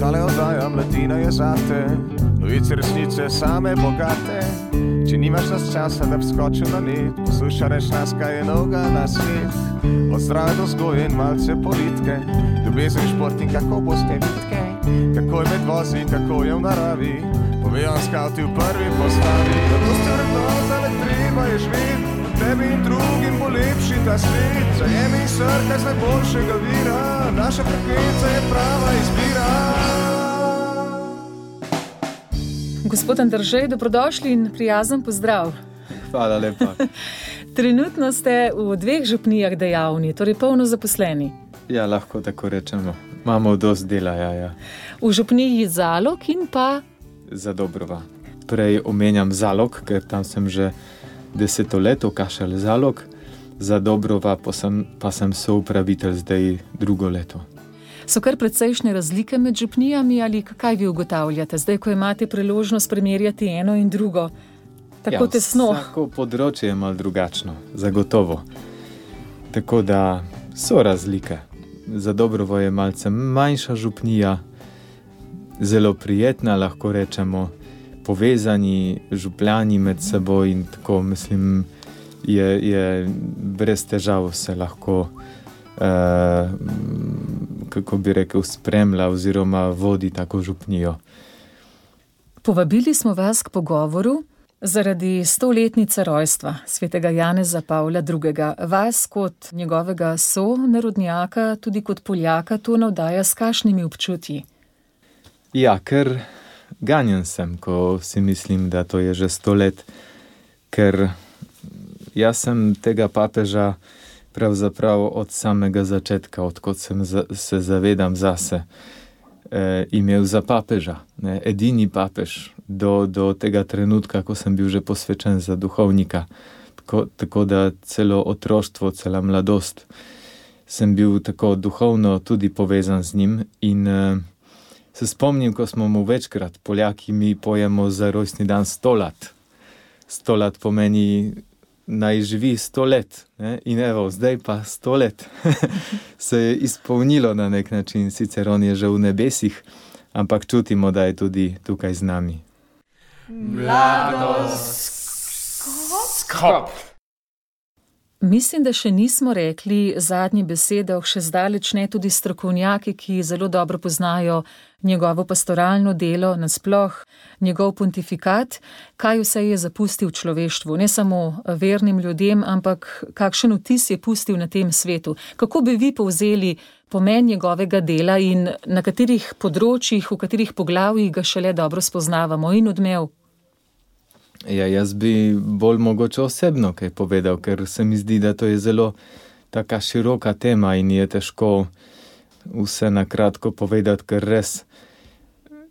Tale oddaja Mladina je zate, novice resnice same bogate. Če nimaš nas časa, da bi skočil na net, poslušaj nas, kaj je novega na svet. Od zdrave do vzgoje in malce politike, ljubezen, šport in kako boste vitke, kako je med vozi, kako je v naravi, povejo skavti v prvi postavi. Zato ste vrednota, le treba je živeti, tebi in drugim bo lepši ta svet. Zajemi srka z najboljšega vira, naša frekvenca je prava izbira. Gospod Andržej, dobrodošli in prijazen pozdrav. Hvala lepa. Trenutno ste v 2 župnijah dejavni, torej polno zaposleni. Ja, lahko tako rečemo. Imamo dosti dela, ja. V župniji Zalog in pa Zadobrova. Prej omenjam Zalog, ker tam sem že 10 let, Kašelj Zalog. Zadobrova pa sem soupravitelj zdaj 2 leto. so kar precejšnje razlike med župnijami ali kaj vi ugotavljate, zdaj, ko imate priložnost primerjati eno in drugo? Tako tesno. Vsako področje je malo drugačno, zagotovo. Tako da so razlike. Zadobrovo je malce manjša župnija, zelo prijetna, lahko rečemo, povezani župljani med seboj in tako, mislim, je brez težav se lahko, kako bi rekel, spremlja oziroma vodi tako župnijo. Povabili smo vas k pogovoru zaradi 100-letnice rojstva svetega Janeza Pavla II. Vas kot njegovega sonarodnjaka, tudi kot Poljaka, to navdaja s kakšnimi občutji? Ja, ker ganjen sem, ko si mislim, da to je že 100 let, ker jaz sem tega papeža pravzaprav od samega začetka, odkot se zavedam zase, imel za papeža, ne, edini papež do tega trenutka, ko sem bil že posvečen za duhovnika. Tako da celo otroštvo, cela mladost sem bil tako duhovno tudi povezan z njim in se spomnim, ko smo mu večkrat, Poljaki, mi pojemo za rojstni dan 100 lat. 100 lat pomeni naj živi 100 let. Ne? In evo, zdaj pa 100 let se je izpolnilo na nek način. Sicer on je že v nebesih, ampak čutimo, da je tudi tukaj z nami. Mladoskop. Mislim, da še nismo rekli zadnje besede, še zdaleč ne tudi strokovnjaki, ki zelo dobro poznajo njegovo pastoralno delo, nasploh njegov pontifikat, kaj vse je zapustil človeštvu, ne samo vernim ljudem, ampak kakšen vtis je pustil na tem svetu. Kako bi vi povzeli pomen njegovega dela in na katerih področjih, v katerih poglavjih ga šele dobro spoznavamo in odmev? Ja, jaz bi bolj mogoče osebno kaj povedal, ker se mi zdi, da to je zelo taka široka tema in je težko vse na kratko povedati, ker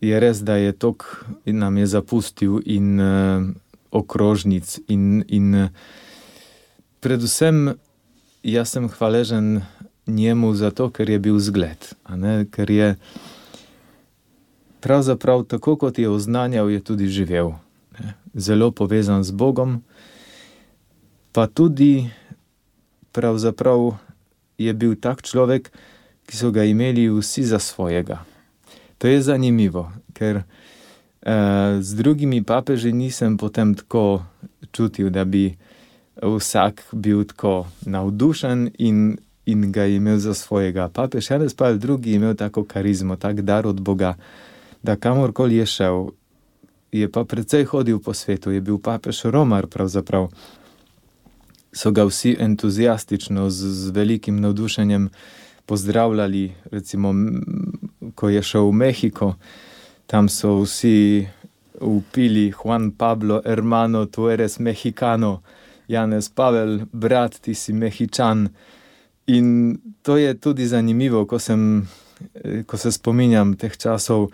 je res, da je tok nam je zapustil in okrožnic in predvsem jaz sem hvaležen njemu zato, ker je bil zgled, a ne, ker je pravzaprav tako, kot je oznanjal, je tudi živel. Zelo povezan z Bogom, pa tudi pravzaprav je bil tak človek, ki so ga imeli vsi za svojega. To je zanimivo, ker z drugimi papeži nisem potem tako čutil, da bi vsak bil tako navdušen in ga imel za svojega. Papež Janez Pavel II. Imel tako karizmo, tak dar od Boga, da kamorkoli je šel, je pa precej hodil po svetu, je bil papež Romar pravzaprav. So ga vsi entuzijastično, z velikim navdušenjem pozdravljali, recimo, ko je šel v Mehiko, tam so vsi vpili Juan Pablo, hermano, tu eres mexicano, Janez Pavel, brat, ti si Mehičan. In to je tudi zanimivo, ko se spominjam teh časov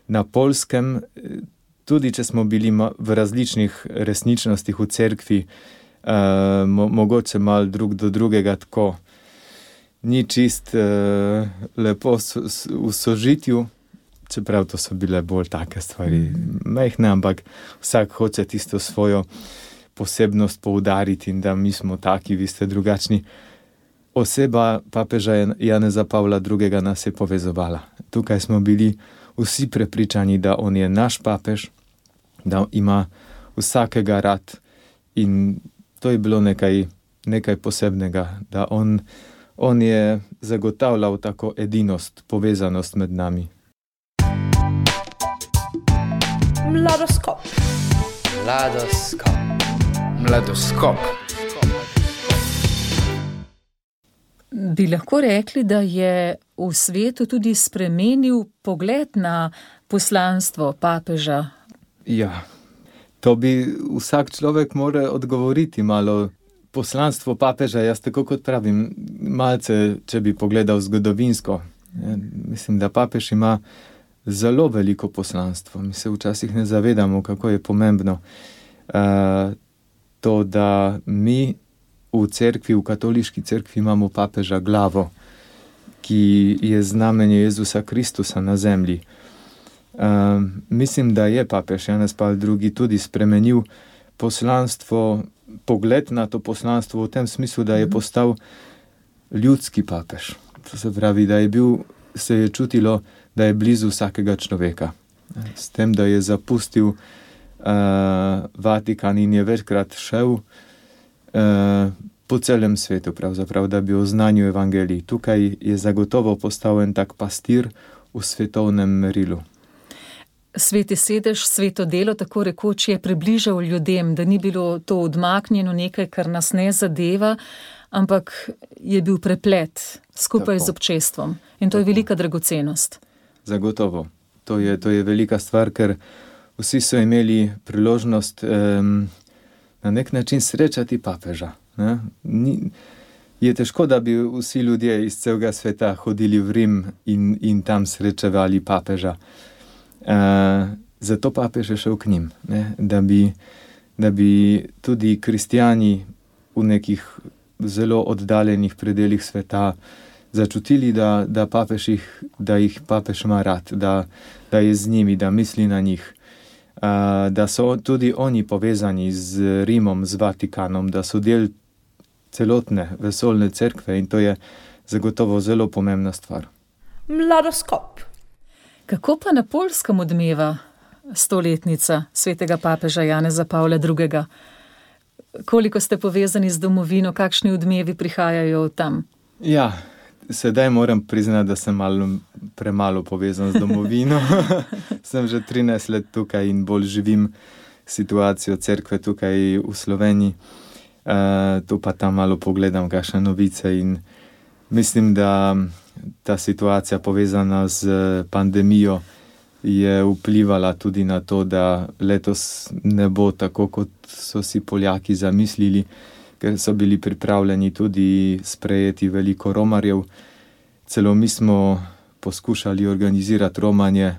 na Poljskem, tudi če smo bili v različnih resničnostih v cerkvi, mogoče malo drug do drugega tako, ni čist lepo v sožitju, čeprav to so bile bolj take stvari, majhne, ampak vsak hoče tisto svojo posebnost poudariti in da mi smo taki, vi ste drugačni. Oseba papeža Janeza Pavla II. Nas je povezovala. Tukaj smo bili vsi prepričani, da on je naš papež, da ima vsakega rad in to je bilo nekaj posebnega, da on je zagotavljal tako edinost, povezanost med nami. Mladoskop. Bi lahko rekli, da je v svetu tudi spremenil pogled na poslanstvo papeža? Ja, to bi vsak človek mora odgovoriti malo. Poslanstvo papeža, jaz tako kot pravim, malce, če bi pogledal zgodovinsko. Mislim, da papež ima zelo veliko poslanstvo. Mi se včasih ne zavedamo, kako je pomembno to, da mi v cerkvi, v katoliški cerkvi imamo papeža glavo, ki je znamenje Jezusa Kristusa na zemlji. Mislim, da je papež Janez Pavel II. Tudi spremenil poslanstvo, pogled na to poslanstvo v tem smislu, da je postal ljudski papež. To se pravi, da se je čutilo, da je blizu vsakega človeka. S tem, da je zapustil Vatikan in je večkrat šel po celem svetu, pravzaprav, da bi oznanil evangelij. Tukaj je zagotovo postal en tak pastir v svetovnem merilu. Sveti sedež, sveto delo, tako rekoč, je približal ljudem, da ni bilo to odmaknjeno nekaj, kar nas ne zadeva, ampak je bil preplet skupaj z občestvom. In to je velika dragocenost. Zagotovo. To je velika stvar, ker vsi so imeli priložnost na nek način srečati papeža. Je težko, da bi vsi ljudje iz celega sveta hodili v Rim in tam srečevali papeža. Zato papež je šel k njim, da bi tudi kristjani v nekih zelo oddaljenih predelih sveta začutili, da jih papež ima rad, da je z njimi, da misli na njih, da so tudi oni povezani z Rimom, z Vatikanom, da so del celotne vesoljne cerkve in to je zagotovo zelo pomembna stvar. Mladoskop. Kako pa na Poljskem odmeva stoletnica svetega papeža Janeza Pavla II.? Koliko ste povezani z domovino, kakšni odmevi prihajajo tam? Ja, sedaj moram priznati, da sem premalo povezan z domovino. Sem že 13 let tukaj in bolj živim situacijo cerkve tukaj v Sloveniji. Tu pa tam malo pogledam kakšne novice in mislim, da ta situacija povezana z pandemijo je vplivala tudi na to, da letos ne bo tako, kot so si Poljaki zamislili, ker so bili pripravljeni tudi sprejeti veliko romarjev. Celo mi smo poskušali organizirati romanje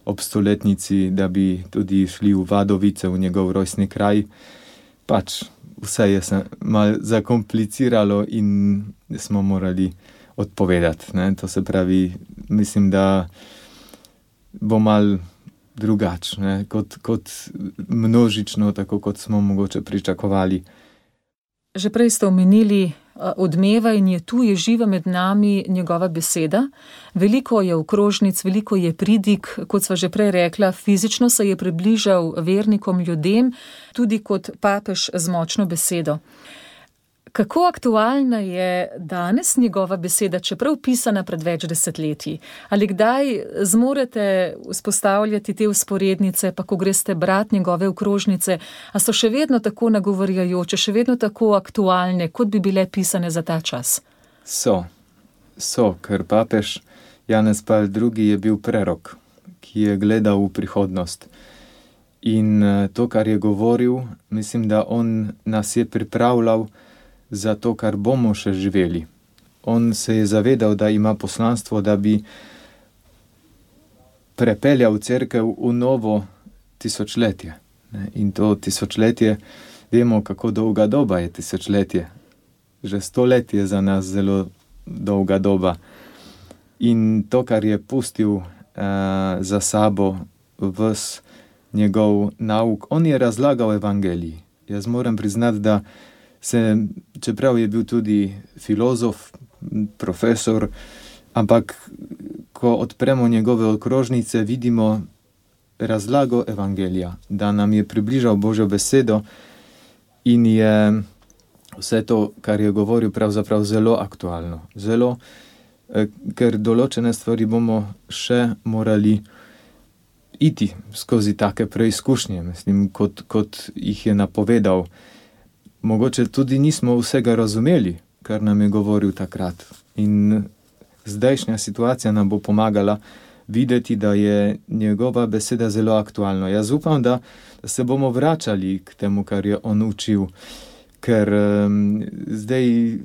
ob stoletnici, da bi tudi šli v Vadovice, v njegov rojstni kraj. Pač vse je se malo zakompliciralo in smo morali odpovedati. To se pravi, mislim, da bo malo drugače, kot množično, tako kot smo mogoče pričakovali. Že prej ste omenili odmeva in je tu, je živa med nami njegova beseda. Veliko je okrožnic, veliko je pridig, kot sva že prej rekla, fizično se je približal vernikom, ljudem, tudi kot papež z močno besedo. Kako aktualna je danes njegova beseda, čeprav pisana pred več desetletji? Ali kdaj zmorete vzpostavljati te vzporednice, pa ko greste brati njegove okrožnice, a so še vedno tako nagovarjajoče, še vedno tako aktualne, kot bi bile pisane za ta čas? So, ker papež Janez Pavel II. Je bil prerok, ki je gledal v prihodnost. In to, kar je govoril, mislim, da on nas je pripravljal za to, kar bomo še živeli. On se je zavedal, da ima poslanstvo, da bi prepeljal cerkev v novo tisočletje. In to tisočletje, vemo, kako dolga doba je tisočletje. Že 100 let je za nas zelo dolga doba. In to, kar je pustil za sabo ves njegov nauk. On je razlagal evangeliji. Jaz moram priznati, da čeprav je bil tudi filozof, profesor, ampak ko odpremo njegove okrožnice, vidimo razlago evangelija, da nam je približal Božjo besedo in je vse to, kar je govoril, pravzaprav zelo aktualno. Zelo, ker določene stvari bomo še morali iti skozi take preizkušnje, mislim, kot jih je napovedal. Mogoče tudi nismo vsega razumeli, kar nam je govoril takrat. In zdajšnja situacija nam bo pomagala videti, da je njegova beseda zelo aktualna. Jaz upam, da se bomo vračali k temu, kar je on učil, ker zdaj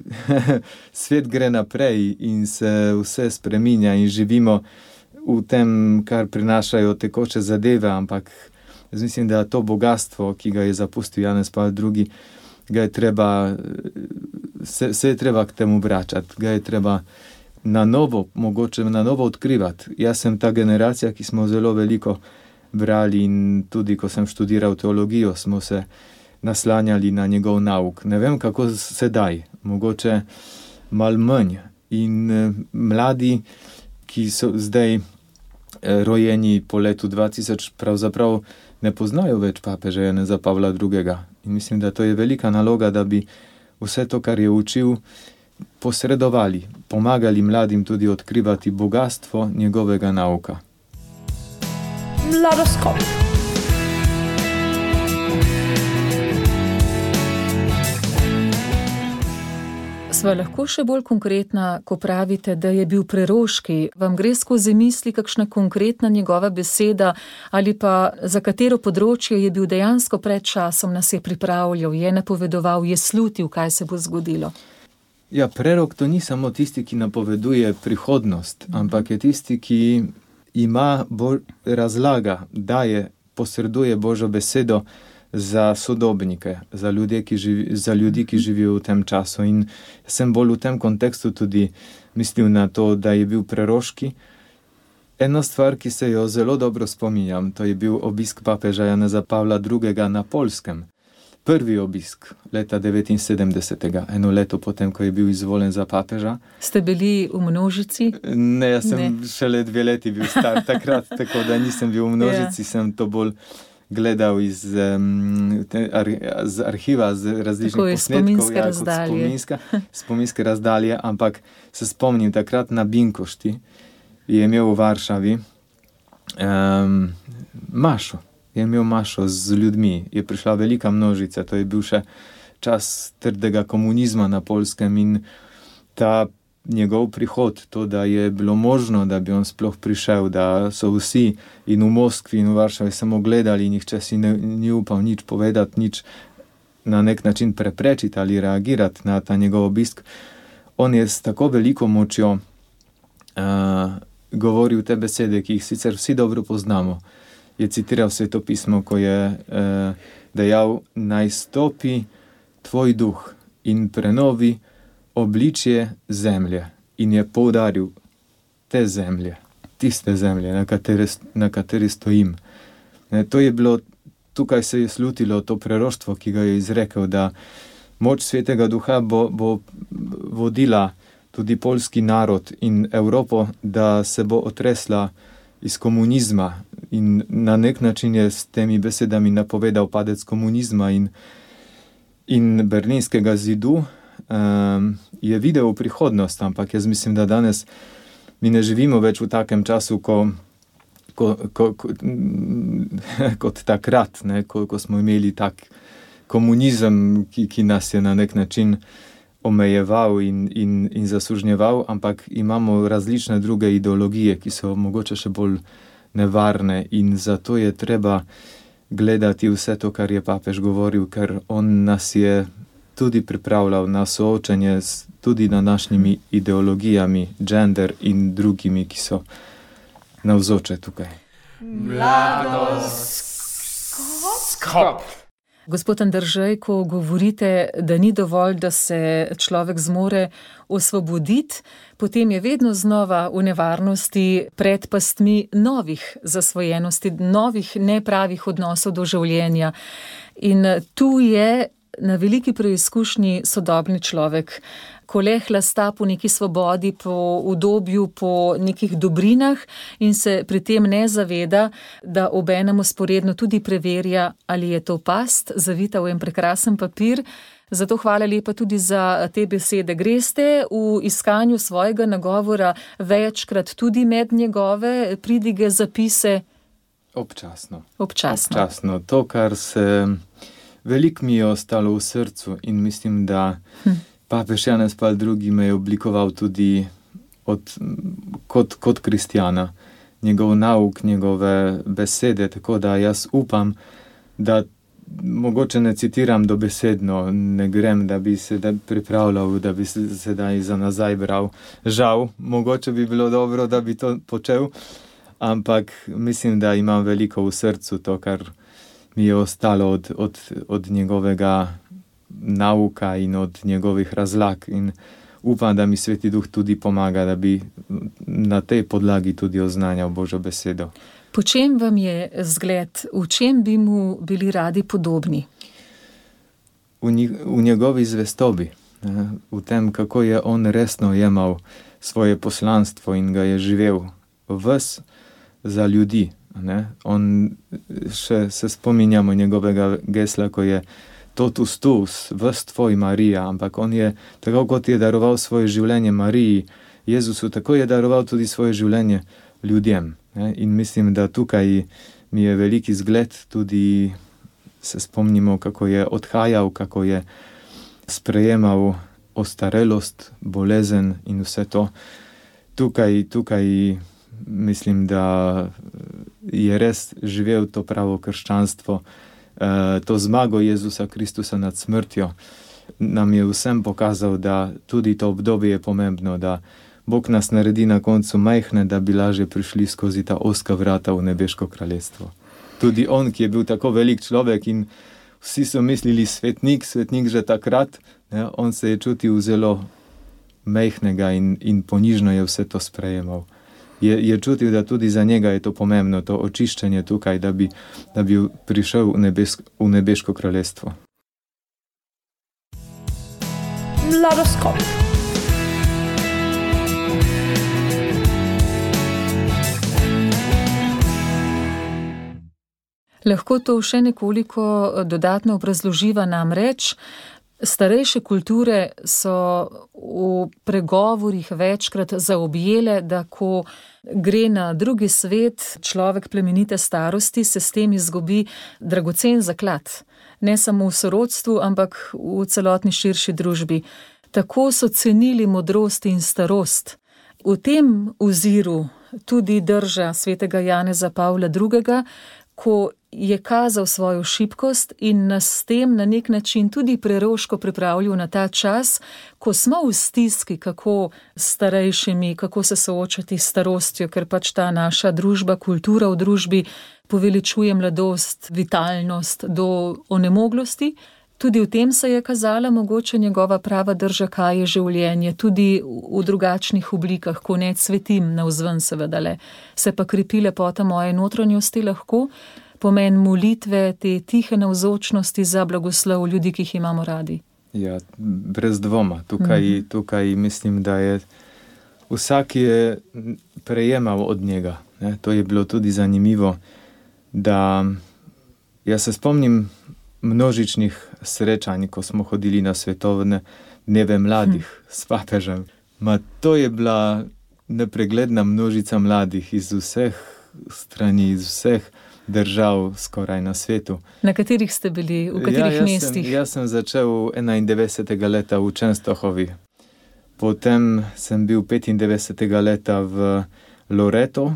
svet gre naprej in se vse spreminja in živimo v tem, kar prinašajo tekoče zadeve, ampak jaz mislim, da to bogatstvo, ki ga je zapustil Janez Pavel II, se je treba k temu vračati, ga je treba mogoče na novo odkrivati. Jaz sem ta generacija, ki smo zelo veliko brali in tudi, ko sem študiral teologijo, smo se naslanjali na njegov nauk. Ne vem, kako sedaj, mogoče malo manj. In mladi, ki so zdaj rojeni po letu 2000, pravzaprav ne poznajo več papeža Janeza Pavla II. In mislim, da to je velika naloga, da bi vse to, kar je učil, posredovali, pomagali mladim tudi odkrivati bogatstvo njegovega nauka. Mladoskop. Sva lahko še bolj konkretna, ko pravite, da je bil preroški? Vam gre skozi misli kakšna konkretna njegova beseda ali pa za katero področje je bil dejansko pred časom, nas je pripravljal, je napovedoval, je slutil, kaj se bo zgodilo? Ja, prerok to ni samo tisti, ki napoveduje prihodnost, ampak je tisti, ki ima razlaga, daje, posreduje Božjo besedo za sodobnike, za ljudi, ki živijo v tem času. In sem bolj v tem kontekstu tudi mislil na to, da je bil preroški. Ena stvar, ki se jo zelo dobro spominjam, to je bil obisk papeža Janeza Pavla II. Na Poljskem. Prvi obisk leta 1979, eno leto potem, ko je bil izvoljen za papeža. Ste bili v množici? Ne, jaz sem šele 2 leti bil star takrat, tako da nisem bil v množici, sem to bolj gledal iz arhiva, z različnih posnetkov. Spominske razdalje, ampak se spomnim takrat na Binkošti, je imel v Varšavi mašo. Je imel mašo z ljudmi, je prišla velika množica, to je bil še čas trdega komunizma na Poljskem in ta njegov prihod, to, da je bilo možno, da bi on sploh prišel, da so vsi in v Moskvi in v Varšavi samo gledali, nihče si ni upal nič povedati, nič na nek način preprečiti ali reagirati na ta njegov obisk. On je s tako veliko močjo govoril te besede, ki jih sicer vsi dobro poznamo. Je citiral Sveto pismo, ko je dejal: naj stopi tvoj duh in prenovi obličje zemlje. In je poudaril te zemlje, tiste zemlje, na kateri stojim. To je bilo, tukaj se je slutilo to preroštvo, ki ga je izrekel, da moč Svetega Duha bo vodila tudi poljski narod in Evropo, da se bo otresla iz komunizma. In na nek način je s temi besedami napovedal padec komunizma in Berlinskega zidu. Je videl v prihodnost, ampak jaz mislim, da danes mi ne živimo več v takem času, kot takrat, ko smo imeli tak komunizem, ki nas je na nek način omejeval in zasužnjeval, ampak imamo različne druge ideologije, ki so mogoče še bolj nevarne in zato je treba gledati vse to, kar je papež govoril, ker on nas je tudi pripravljal na soočanje tudi na našimi ideologijami, gender in drugimi, ki so navzoče tukaj. Mladoskop. Gospod Andržej, ko govorite, da ni dovolj, da se človek zmore osvoboditi, potem je vedno znova v nevarnosti pred pastmi novih zasvojenosti, novih nepravih odnosov do življenja. In tu je na veliki preizkušnji sodobni človek, ko le hlasta po neki svobodi, po udobju, po nekih dobrinah in se pri tem ne zaveda, da obenem vzporedno tudi preverja, ali je to past, zavita v en prekrasen papir. Zato hvala lepa tudi za te besede. Greste v iskanju svojega nagovora večkrat tudi med njegove pridige, zapise? Občasno. To, kar se veliko mi je ostalo v srcu in mislim, da papež Janez Pavel II me je oblikoval tudi kot kristjana. Njegov nauk, njegove besede, tako da jaz upam, da mogoče ne citiram dobesedno, ne grem, da bi se pripravljal, da bi se sedaj za nazaj bral. Žal, mogoče bi bilo dobro, da bi to počel, ampak mislim, da imam veliko v srcu to, kar mi je ostalo od njegovega nauka in od njegovih razlag in upam, da mi Sveti Duh tudi pomaga, da bi na tej podlagi tudi oznanjal Božjo besedo. Po čem vam je zgled? V čem bi mu bili radi podobni? V njegovi zvestobi, v tem, kako je on resno jemal svoje poslanstvo in ga je živel ves za ljudi. On še se spominjamo njegovega gesla, ko je totus tuus, ves tvoj Marija, ampak on je, tako kot je daroval svoje življenje Mariji, Jezusu, tako je daroval tudi svoje življenje ljudem. In mislim, da tukaj mi je veliki zgled, tudi se spomnimo, kako je odhajal, kako je sprejemal ostarelost, bolezen in vse to. Tukaj mislim, da je res živel to pravo krščanstvo, to zmago Jezusa Kristusa nad smrtjo. Nam je vsem pokazal, da tudi to obdobje je pomembno, da Bog nas naredi na koncu majhne, da bi lažje prišli skozi ta ozka vrata v nebeško kraljestvo. Tudi on, ki je bil tako velik človek in vsi so mislili svetnik že takrat, on se je čutil zelo majhnega in ponižno je vse to sprejemal. Je čutil, da tudi za njega je to pomembno, to očiščenje tukaj, da bi prišel v nebeško kraljestvo. Mladoskop. Lahko to še nekoliko dodatno obrazloživa, namreč starejše kulture so v pregovorih večkrat zaobjele, da ko gre na drugi svet človek plemenite starosti, se s tem izgubi dragocen zaklad. Ne samo v sorodstvu, ampak v celotni širši družbi. Tako so cenili modrost in starost. V tem oziru tudi drža svetega Janeza Pavla II., ko je kazal svojo šibkost in nas s tem na nek način tudi preroško pripravljal na ta čas, ko smo v stiski, kako starejšimi, kako se soočati s starostjo, ker pač ta naša družba, kultura v družbi poveličuje mladost, vitalnost do onemoglosti. Tudi v tem se je kazala mogoče njegova prava drža, kaj je življenje, tudi v drugačnih oblikah, ko ne cvetim navzven seveda le. Se pa krepi lepota moje notranjosti lahko, pomen molitve, te tihe navzočnosti za blagoslov ljudi, ki jih imamo radi. Ja, brez dvoma. Tukaj mislim, da je vsak je prejemal od njega. To je bilo tudi zanimivo, da jaz se spomnim množičnih srečanj, ko smo hodili na svetovne dneve mladih s papežem. To je bila nepregledna množica mladih iz vseh strani, iz vseh držav skoraj na svetu. Na katerih ste bili, v katerih mestih? Jaz sem začel 91. leta v Częstochowi. Potem sem bil 95. leta v Loreto.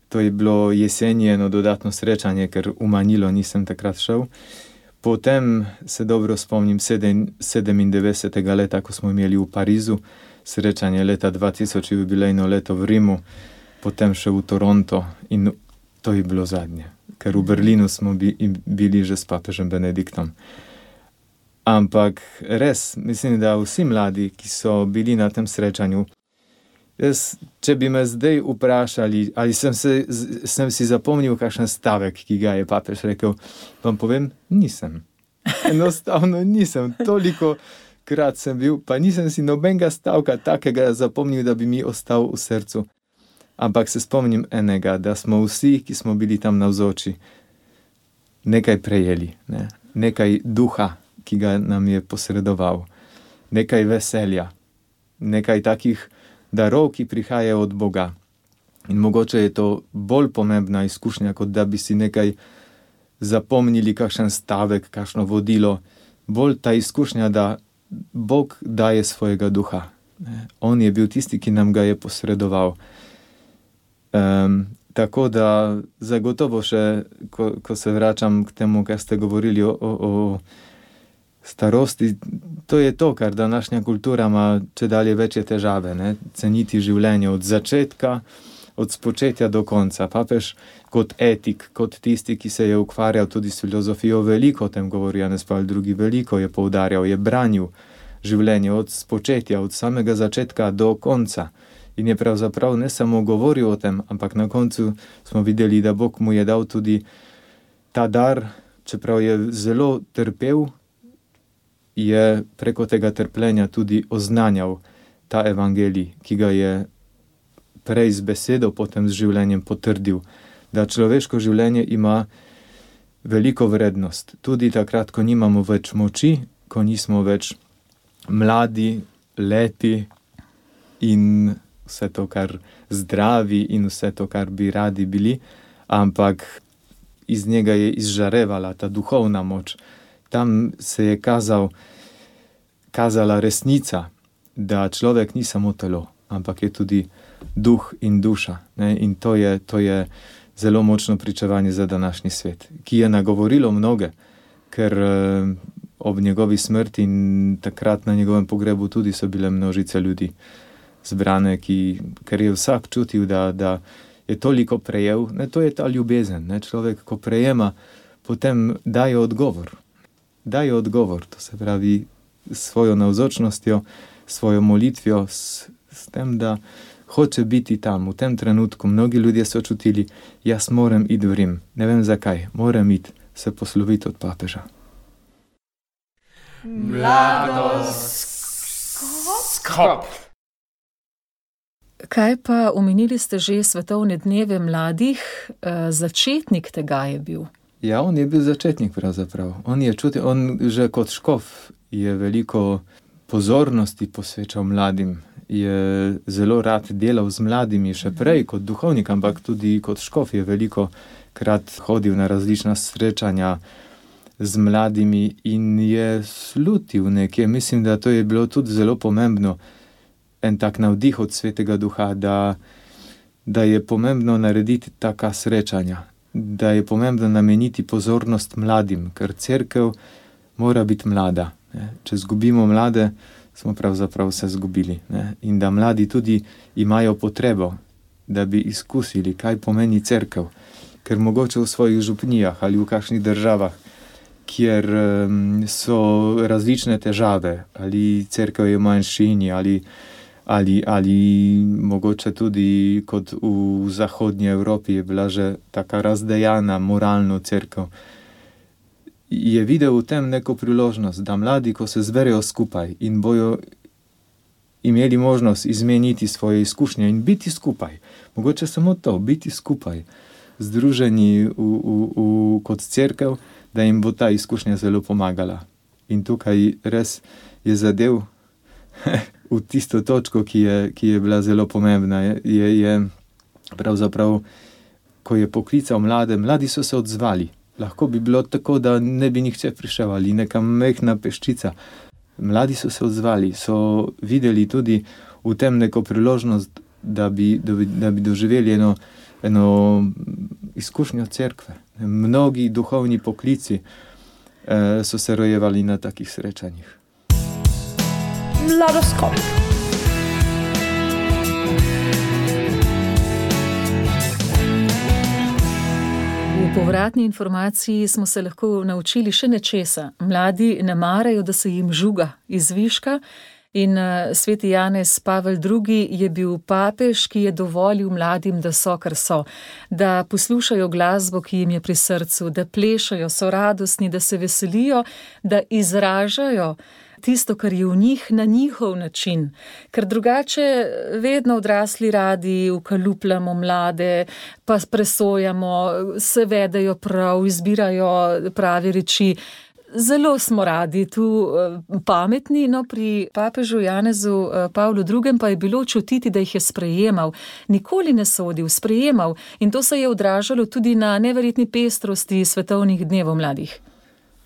To je bilo jeseni eno dodatno srečanje, ker v Manilo nisem takrat šel. Potem se dobro spomnim 97. leta, ko smo imeli v Parizu srečanje leta 2000, jubilejno leto v Rimu, potem še v Toronto. In to je bilo zadnje. Ker v Berlinu smo bili že s papežem Benediktom. Ampak res, mislim, da vsi mladi, ki so bili na tem srečanju, če bi me zdaj vprašali, ali sem si zapomnil kakšen stavek, ki ga je papež rekel, vam povem, nisem. Enostavno nisem. Toliko krat sem bil, pa nisem si nobenega stavka takega zapomnil, da bi mi ostal v srcu. Ampak se spomnim enega, da smo vsi, ki smo bili tam navzoči, nekaj prejeli, ne? Nekaj duha, ki ga nam je posredoval, nekaj veselja, nekaj takih darov, ki prihajajo od Boga. In mogoče je to bolj pomembna izkušnja, kot da bi si nekaj zapomnili, kakšen stavek, kakšno vodilo. Bolj ta izkušnja, da Bog daje svojega duha. On je bil tisti, ki nam ga je posredoval. Tako da zagotovo še, ko se vračam k temu, kar ste govorili o starosti, to je to, kar današnja kultura ima čedalje večje težave, ne? Ceniti življenje od začetka, od spočetja do konca. Papež kot etik, kot tisti, ki se je ukvarjal tudi s filozofijo, veliko o tem govori, Janez Pavel II. Veliko je poudarjal, je branil življenje od spočetja, od samega začetka do konca. In je pravzaprav ne samo govoril o tem, ampak na koncu smo videli, da Bog mu je dal tudi ta dar, čeprav je zelo trpel, je preko tega trpljenja tudi oznanjal ta evangelij, ki ga je prej z besedo, potem z življenjem potrdil, da človeško življenje ima veliko vrednost. Tudi takrat, ko nimamo več moči, ko nismo več mladi, lepi in vse to, kar zdravi in vse to, kar bi radi bili, ampak iz njega je izžarevala ta duhovna moč. Tam se je kazala resnica, da človek ni samo telo, ampak je tudi duh in duša. Ne? In to je zelo močno pričevanje za današnji svet, ki je nagovorilo mnoge, ker ob njegovi smrti in takrat na njegovem pogrebu tudi so bile množice ljudi zbrane, ker je vsak čutil, da je toliko prejel. Ne, to je ta ljubezen. Ne? Človek, ko prejema, potem daje odgovor. Daje odgovor, to se pravi s svojo navzočnostjo, svojo molitvijo, s tem, da hoče biti tam, v tem trenutku. Mnogi ljudje so čutili, jaz moram iti v Rim. Ne vem zakaj, moram iti se posloviti od papeža. Mladoskop. Kaj pa, omenili ste že svetovne dneve mladih, začetnik tega je bil? Ja, on je bil začetnik pravzaprav. On je čutil, on že kot škof je veliko pozornosti posvečal mladim. Je zelo rad delal z mladimi, še prej kot duhovnik, ampak tudi kot škof je veliko krat hodil na različna srečanja z mladimi in je slutil nekje. Mislim, da to je bilo tudi zelo pomembno. En tak navdih od Svetega Duha, da je pomembno narediti taka srečanja, da je pomembno nameniti pozornost mladim, ker cerkev mora biti mlada. Ne? Če zgubimo mlade, smo pravzaprav vse zgubili. Ne? In da mladi tudi imajo potrebo, da bi izkusili, kaj pomeni cerkev, ker mogoče v svojih župnijah ali v kakšnih državah, kjer so različne težave, ali cerkev je v manjšini, ali mogoče tudi kot v zahodnji Evropi je bila že taka razdejana moralno cerkev, je videl v tem neko priložnost, da mladi, ko se zberejo skupaj in bojo imeli možnost izmeniti svoje izkušnje in biti skupaj, mogoče samo to, biti skupaj, združeni kot cerkev, da jim bo ta izkušnja zelo pomagala. In tukaj res je zadev v tisto točko, ki je bila zelo pomembna. Je pravzaprav, ko je poklical mladi so se odzvali. Lahko bi bilo tako, da ne bi nihče prišel ali neka mehna peščica. Mladi so se odzvali, so videli tudi v tem neko priložnost, da bi doživeli eno izkušnjo cerkve. Mnogi duhovni poklici so se rojevali na takih srečanjih. Mladoskop. V povratni informaciji smo se lahko naučili še nečesa. Mladi ne marajo, da se jim žuga iz viška. In sveti Janez Pavel II. Je bil papež, ki je dovolil mladim, da so, kar so, da poslušajo glasbo, ki jim je pri srcu, da plešajo, so radostni, da se veselijo, da izražajo tisto, kar je v njih, na njihov način. Ker drugače vedno odrasli radi ukalupljamo mlade, pa presojamo, se vedejo prav, izbirajo prave reči. Zelo smo radi tu pametni, no pri papežu Janezu Pavlu II. Pa je bilo čutiti, da jih je sprejemal. Nikoli ne sodil, sprejemal. In to se je odražalo tudi na neverjetni pestrosti svetovnih dnevov mladih.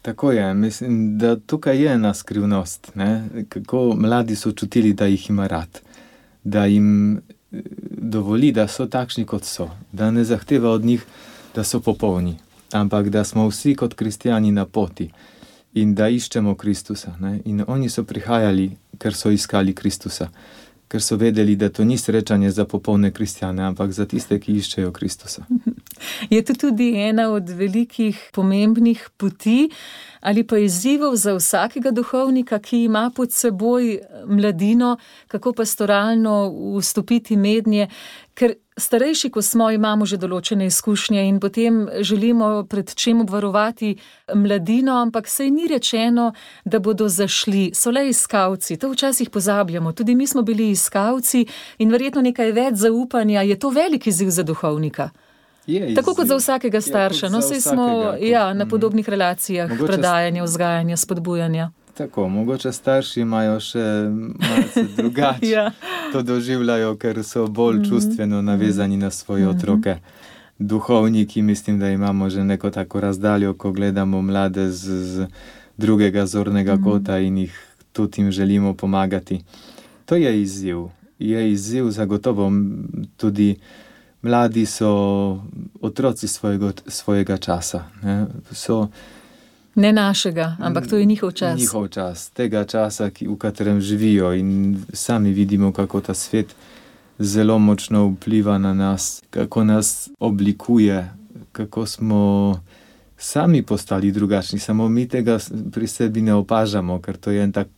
Tako je, mislim, da tukaj je ena skrivnost, ne? Kako mladi so čutili, da jih ima rad, da jim dovoli, da so takšni, kot so, da ne zahteva od njih, da so popolni, ampak da smo vsi kot kristjani na poti in da iščemo Kristusa. Ne? In oni so prihajali, ker so iskali Kristusa, ker so vedeli, da to ni srečanje za popolne kristjane, ampak za tiste, ki iščejo Kristusa. Je to tudi ena od velikih pomembnih poti ali pa izzivov za vsakega duhovnika, ki ima pod seboj mladino, kako pastoralno vstopiti mednje, ker starejši, ko smo, imamo že določene izkušnje in potem želimo pred čem obvarovati mladino, ampak saj ni rečeno, da bodo zašli, so le iskalci, to včasih pozabljamo, tudi mi smo bili iskalci in verjetno nekaj več zaupanja, je to velik izziv za duhovnika. Tako kot za vsakega starša, no saj smo na podobnih relacijah predajanja, vzgajanja, spodbujanja. Tako, mogoče starši imajo še malce drugače, to doživljajo, ker so bolj čustveno navezani na svoje otroke. Duhovniki, mislim, da imamo že neko tako razdaljo, ko gledamo mlade z drugega zornega kota in jih tudi jim želimo pomagati. To je izziv zagotovo. Tudi mladi so otroci svojega časa. Ne našega, ampak to je njihov čas. Njihov čas, tega časa, v katerem živijo in sami vidimo, kako ta svet zelo močno vpliva na nas, kako nas oblikuje, kako smo sami postali drugačni, samo mi tega pri sebi ne opažamo, ker to je en tak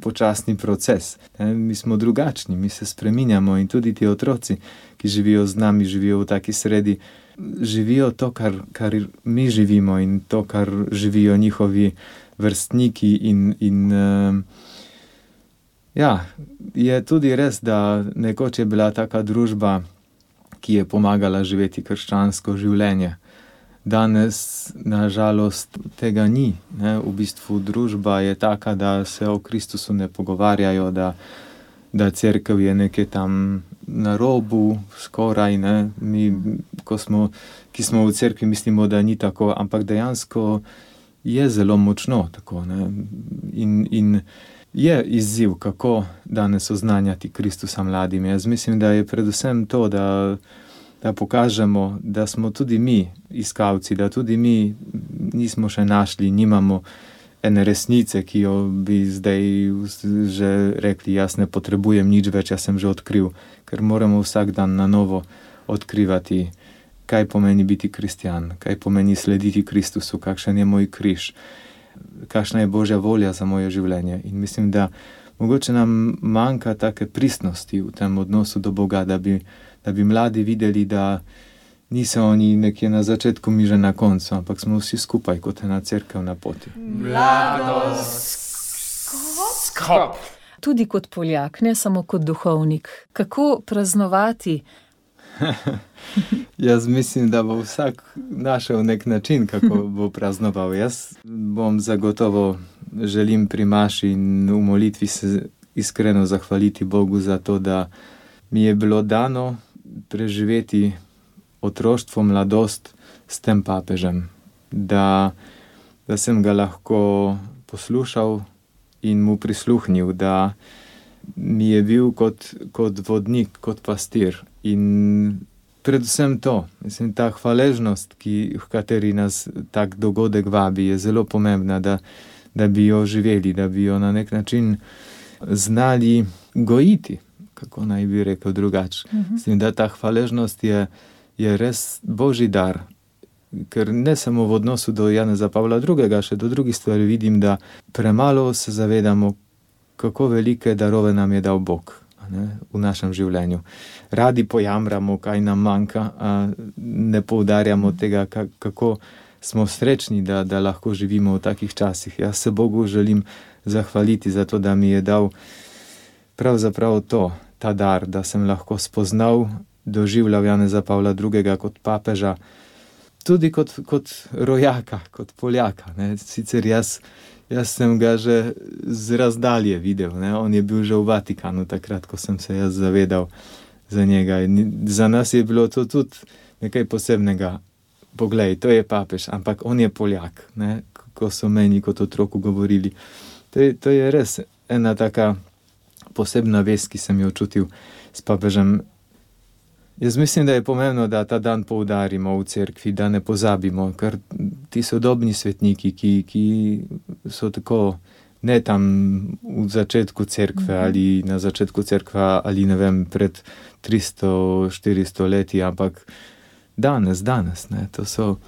počasni proces. Mi smo drugačni, mi se spreminjamo in tudi ti otroci, ki živijo z nami, živijo v taki sredi, živijo to, kar mi živimo in to, kar živijo njihovi vrstniki je tudi res, da nekoč je bila taka družba, ki je pomagala živeti krščansko življenje. Danes, na žalost, tega ni. V bistvu družba je taka, da se o Kristusu ne pogovarjajo, da cerkev je nekaj tam na robu, skoraj, ne. Mi, ki smo v cerkvi, mislimo, da ni tako, ampak dejansko je zelo močno tako, ne. In je izziv, kako danes oznanjati Kristusa mladim. Jaz mislim, da je predvsem to, da pokažemo, da smo tudi mi iskalci, da tudi mi nismo še našli, nimamo ene resnice, ki jo bi zdaj že rekli, jaz ne potrebujem nič več, jaz sem že odkril, ker moramo vsak dan na novo odkrivati, kaj pomeni biti kristjan, kaj pomeni slediti Kristusu, kakšen je moj križ, kakšna je Božja volja za moje življenje. In mislim, da mogoče nam manjka take pristnosti v tem odnosu do Boga, da bi mladi videli, da niso oni nekje na začetku, mi že na koncu, ampak smo vsi skupaj kot ena cerkev na poti. Mladoskop. Tudi kot Poljak, ne samo kot duhovnik. Kako praznovati? Jaz mislim, da bo vsak našel nek način, kako bo praznoval. Jaz bom zagotovo želim pri maši in v molitvi se iskreno zahvaliti Bogu za to, da mi je bilo dano preživeti otroštvo, mladost s tem papežem. Da sem ga lahko poslušal in mu prisluhnil, da mi je bil kot vodnik, kot pastir. In predvsem to, mislim, ta hvaležnost, v kateri nas tak dogodek vabi, je zelo pomembna, da bi jo živeli, da bi jo na nek način znali gojiti, kako naj bi rekel drugače. Mislim, da ta hvaležnost je res Božji dar ker ne samo v odnosu do Janeza Pavla II., še do drugih stvari vidim, da premalo se zavedamo, kako velike darove nam je dal Bog, ne, v našem življenju. Radi pojamramo, kaj nam manjka, a ne poudarjamo tega, kako smo srečni, da lahko živimo v takih časih. Jaz se Bogu želim zahvaliti za to, da mi je dal pravzaprav ta dar, da sem lahko spoznal, doživljal Janeza Pavla II. Kot papeža, tudi kot rojaka, kot Poljaka. Ne. Sicer jaz sem ga že z razdalje videl, ne. On je bil že v Vatikanu takrat, ko sem se jaz zavedal za njega. In za nas je bilo to tudi nekaj posebnega. Poglej, to je papež, ampak on je Poljak, ne, ko so meni kot otroku govorili. To je res ena taka posebna vez, ki sem jo čutil s papežem. Jaz mislim, da je pomembno, da ta dan poudarimo v cerkvi, da ne pozabimo, ker ti sodobni svetniki, ki so tako ne tam v začetku cerkve ali na začetku cerkve ali ne vem, pred 300-400 leti, ampak danes, ne, to so,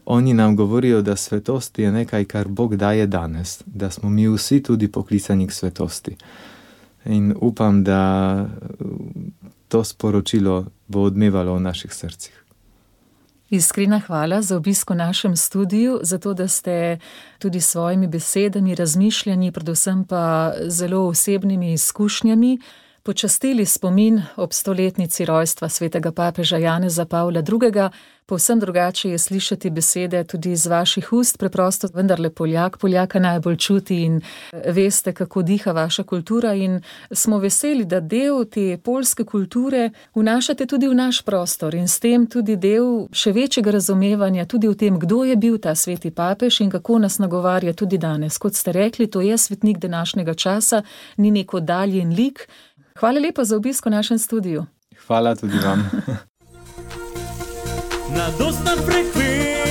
oni nam govorijo, da svetost je nekaj, kar Bog daje danes, da smo mi vsi tudi poklicani k svetosti. In upam, da to sporočilo bo odmevalo v naših srcih. Iskrena hvala za obisk v našem studiu, za to, da ste tudi s svojimi besedami, razmišljanji, predvsem pa zelo osebnimi izkušnjami počastili spomin ob 100-letnici rojstva svetega papeža Janeza Pavla II. Povsem drugače je slišati besede tudi iz vaših ust, preprosto vendarle Poljak, Poljaka najbolj čuti in veste, kako diha vaša kultura, in smo veseli, da del te poljske kulture vnašate tudi v naš prostor in s tem tudi del še večjega razumevanja tudi v tem, kdo je bil ta sveti papež in kako nas nagovarja tudi danes. Kot ste rekli, to je svetnik današnjega časa, ni nek oddaljen lik. Hvala lepa za obisk v našem studiu. Hvala tudi vam. Na dostan frekvenci